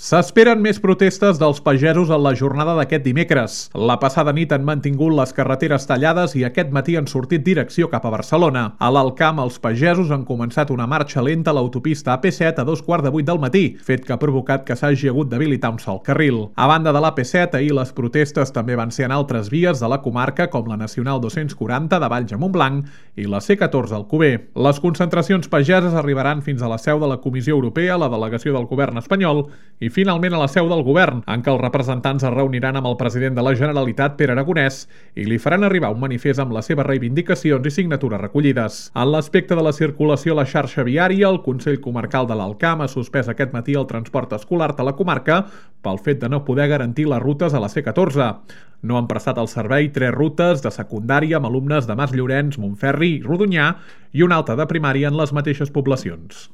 S'esperen més protestes dels pagesos en la jornada d'aquest dimecres. La passada nit han mantingut les carreteres tallades i aquest matí han sortit direcció cap a Barcelona. A l'Alcamp, els pagesos han començat una marxa lenta a l'autopista AP7 a 2:15 del matí, fet que ha provocat que s'hagi hagut d'habilitar un sol carril. A banda de l'AP7, ahir les protestes també van ser en altres vies de la comarca, com la Nacional 240 de Valls a Montblanc i la C14 al Alcover. Les concentracions pageses arribaran fins a la seu de la Comissió Europea, la delegació del govern espanyol i finalment a la seu del govern, en què els representants es reuniran amb el president de la Generalitat, Pere Aragonès, i li faran arribar un manifest amb les seves reivindicacions i signatures recollides. En l'aspecte de la circulació a la xarxa viària, el Consell Comarcal de l'Alcamp ha suspès aquest matí el transport escolar de la comarca pel fet de no poder garantir les rutes a la C14. No han prestat el servei 3 rutes de secundària amb alumnes de Mas Llorenç, Montferri i Rodonyà i una altra de primària en les mateixes poblacions.